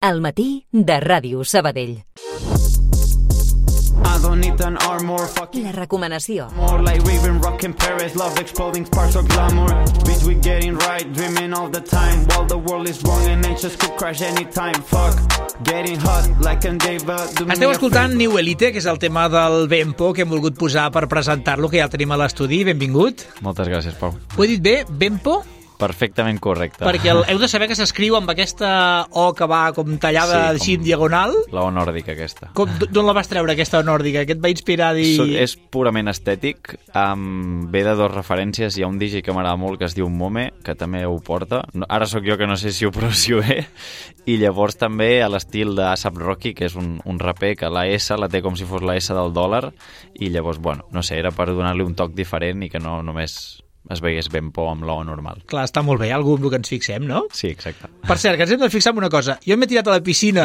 Al matí de Ràdio Sabadell. La recomanació. Esteu escoltant New Elite, que és el tema del Bempo que hem volgut posar per presentar-lo, que ja el tenim a l'estudi. Benvingut. Moltes gràcies, Pau. Ho he dit bé? Bempo? Perfectament correcte. Perquè heu de saber que s'escriu amb aquesta O que va com tallada així en diagonal. La O nòrdica aquesta. D'on la vas treure, aquesta O nòrdica? Què et va inspirar a dir... És purament estètic. Ve de dues referències. Hi ha un DJ que m'agrada molt que es diu Mome, que també ho porta. Ara sóc jo que no sé si ho pronuncio bé. I llavors també a l'estil d'A$AP Rocky, que és un raper que la S la té com si fos la S del dòlar. I llavors, bueno, no sé, era per donar-li un toc diferent i que no només es veiés Bempo amb l'O normal. Clar, està molt bé, algú amb el que ens fixem, no? Sí, exacte. Per cert, que ens hem de fixar en una cosa. Jo m'he tirat a la piscina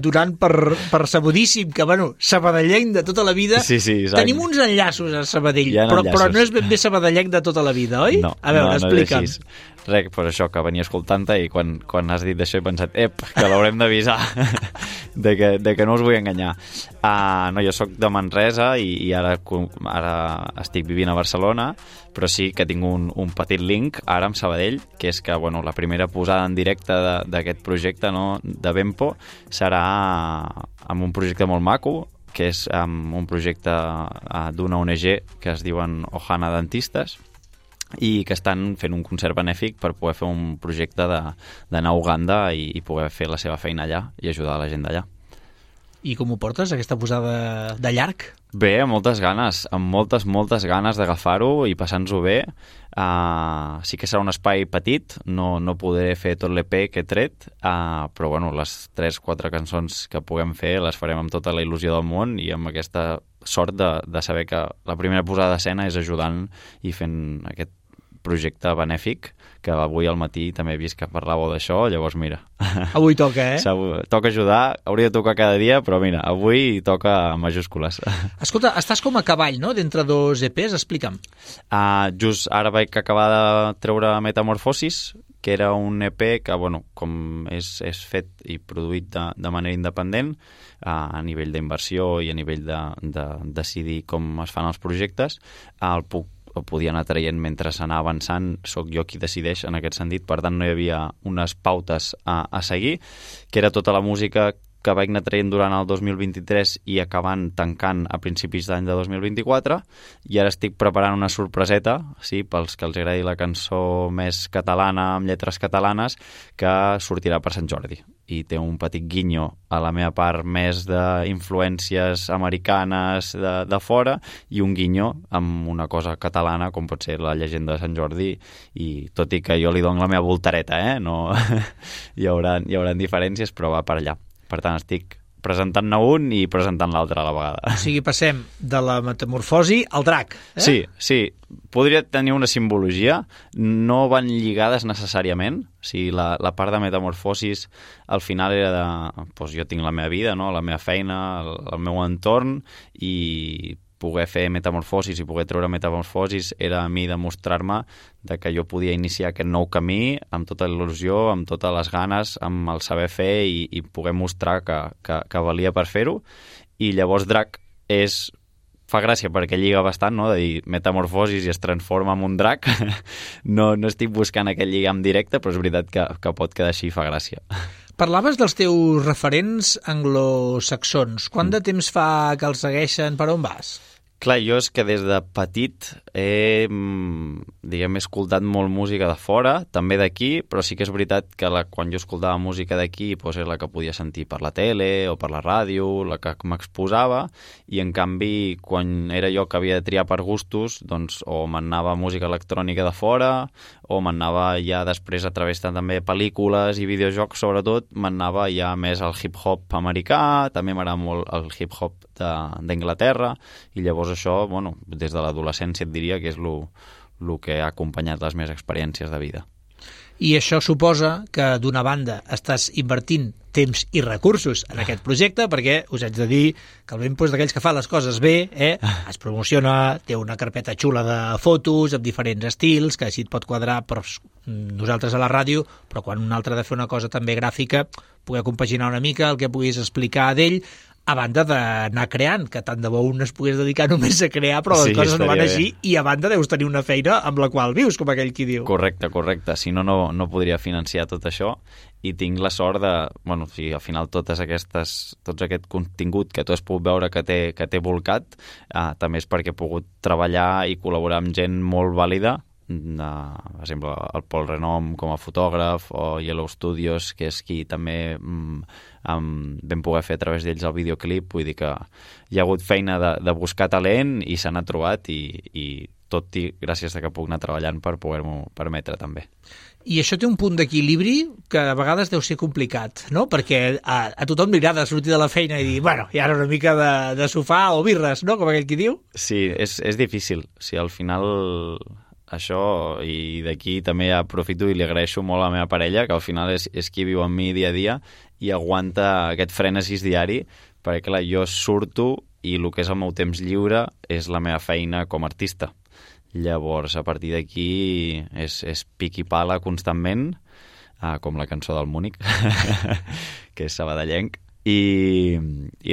donant per sabudíssim, que, bueno, sabadellenc de tota la vida. Sí, exacte. Tenim uns enllaços a Sabadell, però no és ben bé sabadellenc de tota la vida, oi? No, a veure, explica'm. Res, per això que venia escoltant-te i quan has dit d'això he pensat, que l'haurem d'avisar de que no us vull enganyar. No, jo sóc de Manresa i ara estic vivint a Barcelona, però sí que tinc un petit link ara amb Sabadell, que és que bueno, la primera posada en directe d'aquest projecte, no, de Bempo serà amb un projecte molt maco, que és un projecte d'una ONG que es diuen Ohana Dentistes, i que estan fent un concert benèfic per poder fer un projecte d'anar a Uganda i poder fer la seva feina allà i ajudar la gent d'allà. I com ho portes, aquesta posada de llarg? Bé, amb moltes ganes, amb moltes ganes d'agafar-ho i passar-nos-ho bé. Sí que serà un espai petit, no podré fer tot l'EP que he tret, però bueno, les 3-4 cançons que puguem fer les farem amb tota la il·lusió del món i amb aquesta sort de saber que la primera posada d'escena és ajudant i fent aquest projecte benèfic, que avui al matí també he vist que parlàveu d'això, llavors mira. Avui toca, Toca ajudar, hauria de tocar cada dia, però mira, avui toca en majúscules. Escolta, estàs com a cavall, no?, d'entre dos EPs, explica'm. Just ara vaig acabar de treure Metamorfosis, que era un EP que, bueno, com és fet i produït de manera independent, a nivell d'inversió i a nivell de decidir com es fan els projectes, el podia anar traient mentre s'anava avançant, sóc jo qui decideix en aquest sentit, per tant no hi havia unes pautes a seguir, que era tota la música que vaig anar traient durant el 2023 i acabant tancant a principis d'any de 2024, i ara estic preparant una sorpreseta, sí, pels que els agradi la cançó més catalana, amb lletres catalanes, que sortirà per Sant Jordi. I té un petit guinyo a la meva part més d'influències americanes de fora i un guinyo amb una cosa catalana com pot ser la llegenda de Sant Jordi, i tot i que jo li dono la meva voltareta, no hi haurà diferències, però va per allà. Per tant, estic presentant-ne un i presentant l'altre a la vegada. O sigui, passem de la metamorfosi al drac. Sí. Podria tenir una simbologia. No van lligades necessàriament. O sigui, la part de metamorfosis al final era de... jo tinc la meva vida, no? La meva feina, el meu entorn, i poder fer metamorfosis i poder treure metamorfosis era a mi demostrar-me que jo podia iniciar aquest nou camí amb tota l'il·lusió, amb totes les ganes, amb el saber fer i poder mostrar que valia per fer-ho. I llavors drac fa gràcia perquè lliga bastant, no? De dir metamorfosis i es transforma en un drac. No estic buscant aquest lligam directe, però és veritat que pot quedar així i fa gràcia. Parlaves dels teus referents anglosaxons. Quant de temps fa que els segueixen? Per on vas? Clar, jo és que des de petit he escoltat molt música de fora, també d'aquí, però sí que és veritat que quan jo escoltava música d'aquí és la que podia sentir per la tele o per la ràdio, la que m'exposava, i en canvi quan era jo que havia de triar per gustos, doncs o m'anava música electrònica de fora o m'anava ja després a través de també pel·lícules i videojocs, sobretot m'anava ja més al hip-hop americà, també m'agrada molt el hip-hop d'Anglaterra, i llavors això, bueno, des de l'adolescència et diria que és el que ha acompanyat les meves experiències de vida. I això suposa que, d'una banda, estàs invertint temps i recursos en aquest projecte, perquè us haig de dir que el Ben d'aquells que fa les coses bé, es promociona, té una carpeta xula de fotos amb diferents estils, que així et pot quadrar per nosaltres a la ràdio, però quan un altre ha de fer una cosa també gràfica, poder compaginar una mica el que puguis explicar d'ell, a banda d'anar creant, que tant de bo un es pogués dedicar només a crear, però les coses no van així, i a banda deus tenir una feina amb la qual vius, com aquell qui diu. Correcte. Si no, no podria financiar tot això, i tinc la sort de... Bueno, si al final tot aquest contingut que tu has pogut veure que té volcat, també és perquè he pogut treballar i col·laborar amb gent molt vàlida, per exemple, el Pol Renom com a fotògraf, o Yellow Studios, que és qui també vam poder fer a través d'ells el videoclip. Vull dir que hi ha hagut feina de buscar talent i se n'ha trobat, i tot i gràcies a que puc anar treballant per poder-m'ho permetre també. I això té un punt d'equilibri que a vegades deu ser complicat, no? Perquè a tothom li agrada sortir de la feina i dir, bueno, i ara una mica de sofà o birres, no? Com aquell qui diu. Sí, és difícil. Sí, al final... Això, i d'aquí també aprofito i li agraeixo molt a la meva parella, que al final és qui viu amb mi dia a dia i aguanta aquest frenesis diari, perquè clar, jo surto i el que és el meu temps lliure és la meva feina com a artista. Llavors, a partir d'aquí és pic i pala constantment, com la cançó del Múnich, que és sabadellenc, i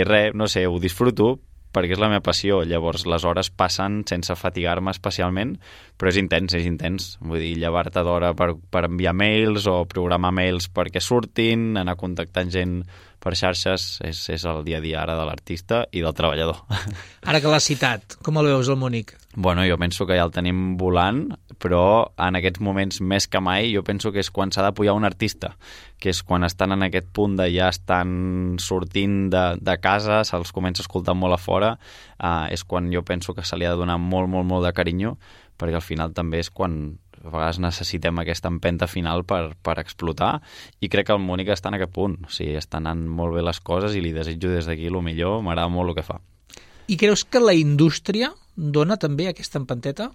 res, no sé, ho disfruto, perquè és la meva passió. Llavors les hores passen sense fatigar-me especialment, però és intens. Vull dir, llevar-te d'hora per enviar mails o programar mails perquè surtin, anar contactant gent per xarxes, és el dia a dia ara de l'artista i del treballador. Ara que l'has citat, com el veus, el Múnich? Bueno, jo penso que ja el tenim volant, però en aquests moments més que mai jo penso que és quan s'ha d'apoyar un artista, que és quan estan en aquest punt de ja estan sortint de casa, se'ls comença a escoltar molt a fora, és quan jo penso que se li ha de donar molt, molt, molt de carinyo, perquè al final també és quan a vegades necessitem aquesta empenta final per explotar, i crec que el Múnich està en aquest punt. O sigui, estan anant molt bé les coses i li desitjo des d'aquí el millor, m'agrada molt el que fa. I creus que la indústria dona també aquesta empenteta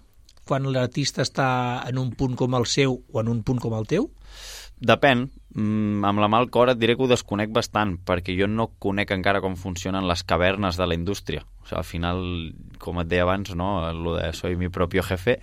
quan l'artista està en un punt com el seu o en un punt com el teu? Depèn. Amb la mà al cor et diré que ho desconec bastant, perquè jo no conec encara com funcionen les cavernes de la indústria. O sigui, al final, com et deia abans, no? Lo de soy mi propio jefe,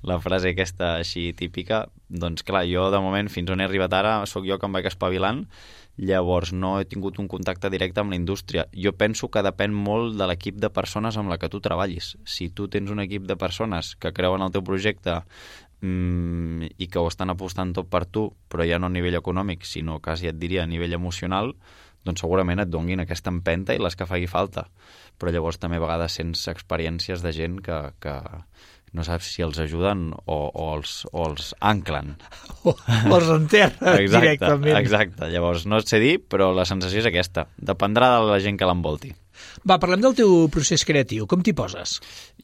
la frase aquesta així típica, doncs clar, jo de moment fins on he arribat ara sóc jo que em vaig espavilant, llavors no he tingut un contacte directe amb la indústria. Jo penso que depèn molt de l'equip de persones amb la que tu treballis. Si tu tens un equip de persones que creuen el teu projecte i que ho estan apostant tot per tu, però ja no a nivell econòmic, sinó quasi et diria a nivell emocional, doncs segurament et donguin aquesta empenta i les que faci falta. Però llavors també a vegades sents experiències de gent que no saps si els ajuden o els anclen. O els enterren directament. Exacte. Llavors no et sé dir, però la sensació és aquesta. Dependrà de la gent que l'envolti. Va, parlem del teu procés creatiu. Com t'hi poses?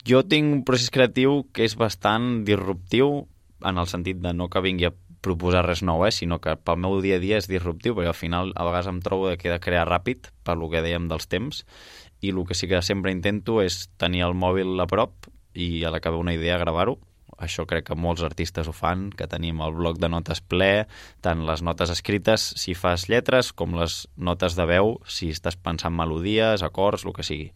Jo tinc un procés creatiu que és bastant disruptiu, en el sentit de no que vingui a proposar res nou, sinó que pel meu dia a dia és disruptiu, perquè al final a vegades em trobo que he de crear ràpid, per lo que dèiem dels temps, i el que sí que sempre intento és tenir el mòbil a prop i a l'acabar una idea gravar-ho. Això crec que molts artistes ho fan, que tenim el bloc de notes ple, tant les notes escrites si fas lletres com les notes de veu si estàs pensant melodies, acords, el que sigui.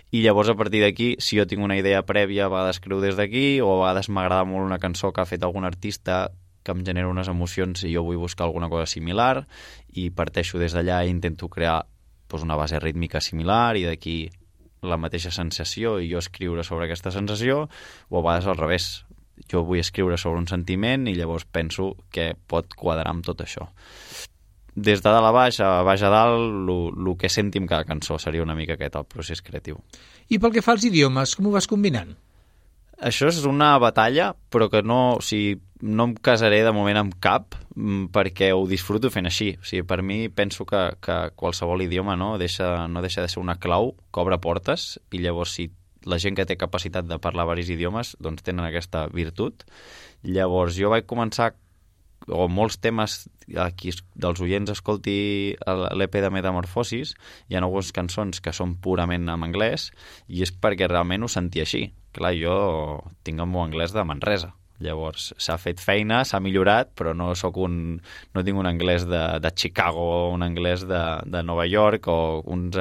I llavors a partir d'aquí, si jo tinc una idea prèvia, a vegades escriu des d'aquí, o a vegades m'agrada molt una cançó que ha fet algun artista que em genera unes emocions i jo vull buscar alguna cosa similar i parteixo des d'allà i intento crear una base rítmica similar i d'aquí la mateixa sensació i jo escriure sobre aquesta sensació, o a vegades al revés. Jo vull escriure sobre un sentiment i llavors penso que pot quadrar amb tot això. Des de dalt a baix a dalt, el que senti amb cada cançó seria una mica aquest el procés creatiu. I pel que fa als idiomes, com ho vas combinant? Això és una batalla, però que no em casaré de moment amb cap, perquè ho disfruto fent així. O sigui, per mi penso que qualsevol idioma no deixa de ser una clau que obre portes, i llavors si la gent que té capacitat de parlar diversos idiomes doncs tenen aquesta virtut. Llavors jo vaig començar, o molts temes, aquí dels oients escolti l'EP de Metamorfosis, hi ha algunes cançons que són purament en anglès i és perquè realment ho sentia així. Clar, jo tinc el meu anglès de Manresa, Llavors, s'ha fet feina, s'ha millorat, però no tinc un anglès de Chicago o un anglès de Nova York o un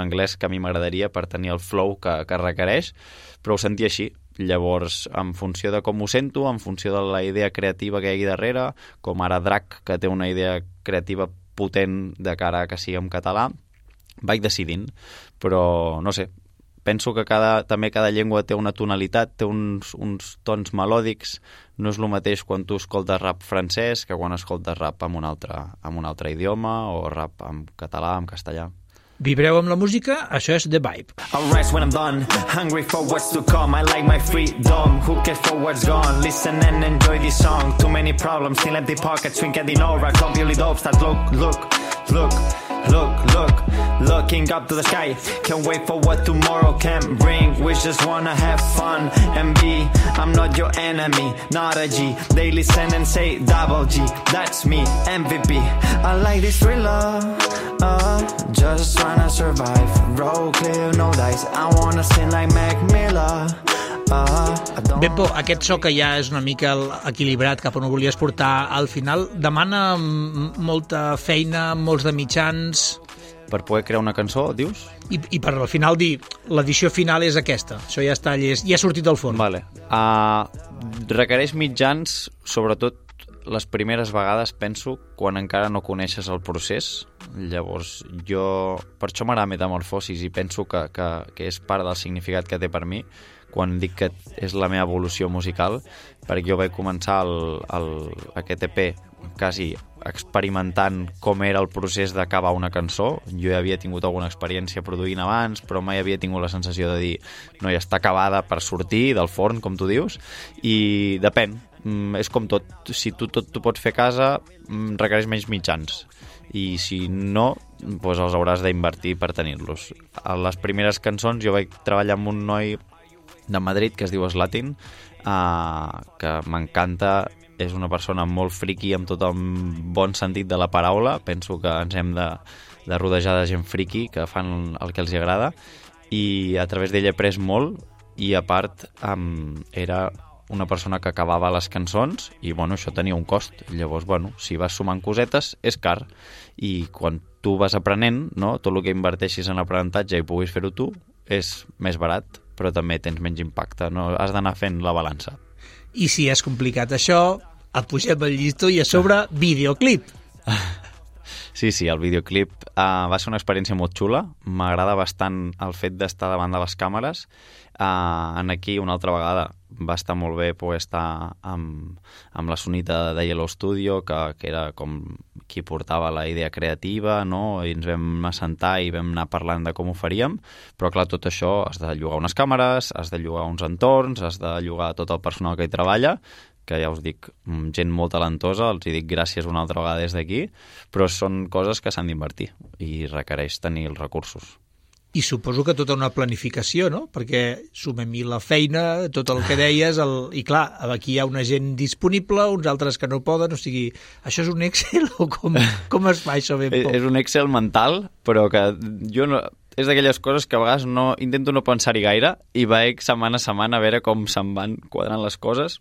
anglès que a mi m'agradaria per tenir el flow que requereix, però ho sentia així. Llavors, en funció de com ho sento, en funció de la idea creativa que hi hagi darrere, com ara Drac, que té una idea creativa potent de cara a que sigui en català, vaig decidint, però no sé, penso que també cada llengua té una tonalitat, té uns tons melòdics, no és el mateix quan tu escoltes rap francès que quan escoltes rap en un altre idioma o rap en català, en castellà. Vibreu amb la música, això és The Vibe. I'll rise when I'm done, hungry for what's to come. I like my freedom, who cares for what's gone? Listen and enjoy this song. Too many problems, still empty pockets, swing at the aura. Completely dope, start looking up to the sky. Can't wait for what tomorrow can bring. We just wanna have fun and be. I'm not your enemy, not a G. They listen and say double G. That's me, MVP. I like this thriller. Just trying to survive. Roll clear, no dice. I wanna sing like Mac Miller. Bempo, aquest so que ja és una mica equilibrat cap on ho volies portar, al final demana molta feina, molts de mitjans... Per poder crear una cançó, dius? I per al final dir, l'edició final és aquesta, això ja està llest, ja ha sortit del forn. Vale. Requereix mitjans, sobretot les primeres vegades, penso, quan encara no coneixes el procés. Llavors, per això m'agrada Metamorfosis i penso que és part del significat que té per mi, quan dic que és la meva evolució musical, perquè jo vaig començar aquest EP quasi experimentant com era el procés d'acabar una cançó. Jo ja havia tingut alguna experiència produint abans, però mai havia tingut la sensació de dir no, ja està acabada per sortir del forn, com tu dius, i depèn. És com tot. Si tu pots fer a casa, requereix menys mitjans. I si no, doncs els hauràs d'invertir per tenir-los. A les primeres cançons jo vaig treballar amb un noi de Madrid que es diu Slatin, que m'encanta, és una persona molt friki amb tot el bon sentit de la paraula. Penso que ens hem de rodejar de gent friki que fan el que els agrada, i a través d'ell he après molt, i a part era una persona que acabava les cançons i bueno, això tenia un cost. Llavors, bueno, si vas sumant cosetes és car, i quan tu vas aprenent, no, tot el que inverteixis en aprenentatge i puguis fer-ho tu és més barat, però també tens menys impacte, no? Has d'anar fent la balança. I si és complicat això, et pugem el llistó i a sobre videoclip. Sí, el videoclip va ser una experiència molt xula. M'agrada bastant el fet d'estar davant de les càmeres. Aquí, una altra vegada, va estar molt bé poder estar amb la Sonita de Yellow Studio, que era com qui portava la idea creativa, no? I ens vam assentar i vam anar parlant de com ho faríem, però clar, tot això has de llogar unes càmeres, has de llogar uns entorns, has de llogar tot el personal que hi treballa, que ja us dic, gent molt talentosa, els hi dic gràcies una altra vegada des d'aquí, però són coses que s'han d'invertir i requereix tenir els recursos. I suposo que tota una planificació, no? Perquè sumem-hi la feina, tot el que deies, i clar, aquí hi ha una gent disponible, uns altres que no poden, o sigui, això és un Excel o com es fa això ben poc? És un Excel mental, però que jo no... És d'aquelles coses que a vegades intento no pensar-hi gaire i vaig setmana a setmana a veure com se'n van quadrant les coses.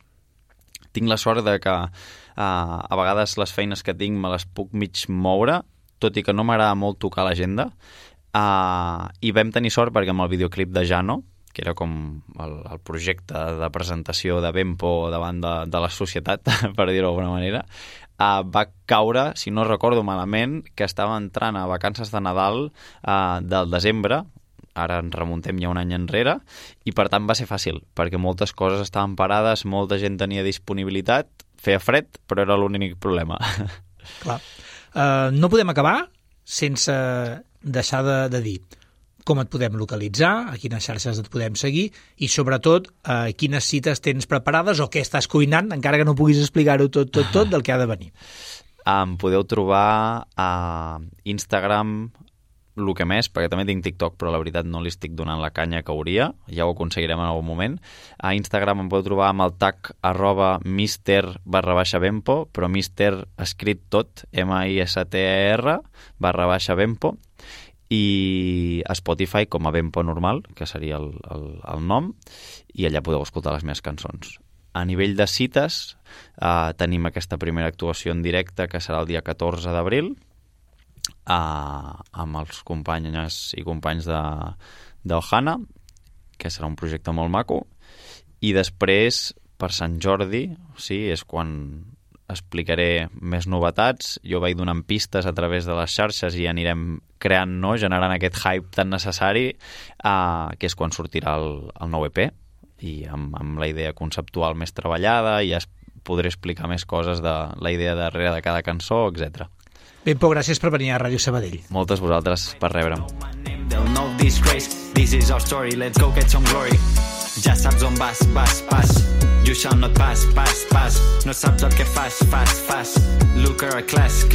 Tinc la sort de que a vegades les feines que tinc me les puc mig moure, tot i que no m'agrada molt tocar l'agenda. I vam tenir sort perquè amb el videoclip de Jano, que era com el projecte de presentació de Bempo davant de la societat, per dir-ho d'alguna manera, va caure, si no recordo malament, que estava entrant a vacances de Nadal del desembre, ara ens remuntem ja un any enrere, i per tant va ser fàcil, perquè moltes coses estaven parades, molta gent tenia disponibilitat, feia fred, però era l'únic problema. Clar. No podem acabar sense deixar de dir com et podem localitzar, a quines xarxes et podem seguir i, sobretot, quines cites tens preparades o què estàs cuinant, encara que no puguis explicar-ho tot del que ha de venir. Em podeu trobar a Instagram, el que més, perquè també tinc TikTok, però la veritat no li estic donant la canya que hauria, ja ho aconseguirem en algun moment. A Instagram em podeu trobar amb el tag @mister_bempo, però mister escrit tot, MISTER /Bempo, i a Spotify com a Bempo normal, que seria el nom, i allà podeu escoltar les meves cançons. A nivell de cites, tenim aquesta primera actuació en directe, que serà el dia 14 d'abril, amb els companyes i companys d'Ohana, que serà un projecte molt maco, i després, per Sant Jordi, sí, és quan explicaré més novetats. Jo vaig donant pistes a través de les xarxes i anirem creant, no?, generant aquest hype tan necessari, que és quan sortirà el nou EP, i amb la idea conceptual més treballada, i ja podré explicar més coses de la idea darrere de cada cançó, etc. Ben, Pau, gràcies per venir a Ràdio Sabadell. Moltes vosaltres per rebre'm. They'll know this grace. This is our story, let's go get some glory. Ja saps on vas, you shall not pass. No saps el que fas. Look at our class.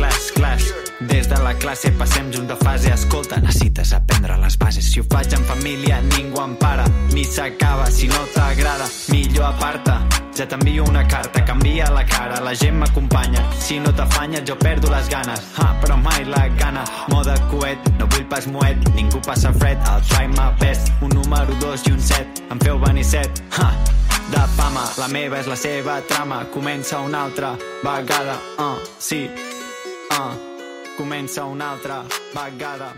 Des de la classe passem junt de fase. Escolta, necessites aprendre les bases. Si ho faig en família, ningú em para, ni s'acaba. Si no t'agrada, millor aparta. Ja t'envio una carta, canvia la cara, la gent m'acompanya. Si no t'afanyes, jo perdo les ganes. Però mai la gana, moda coet, no vull pas moet, ningú passa fred. I'll try my best, un número 2 i un 7, em feu venir 7. De fama, la meva és la seva trama. Comença una altra vegada, sí, comença una altra vegada.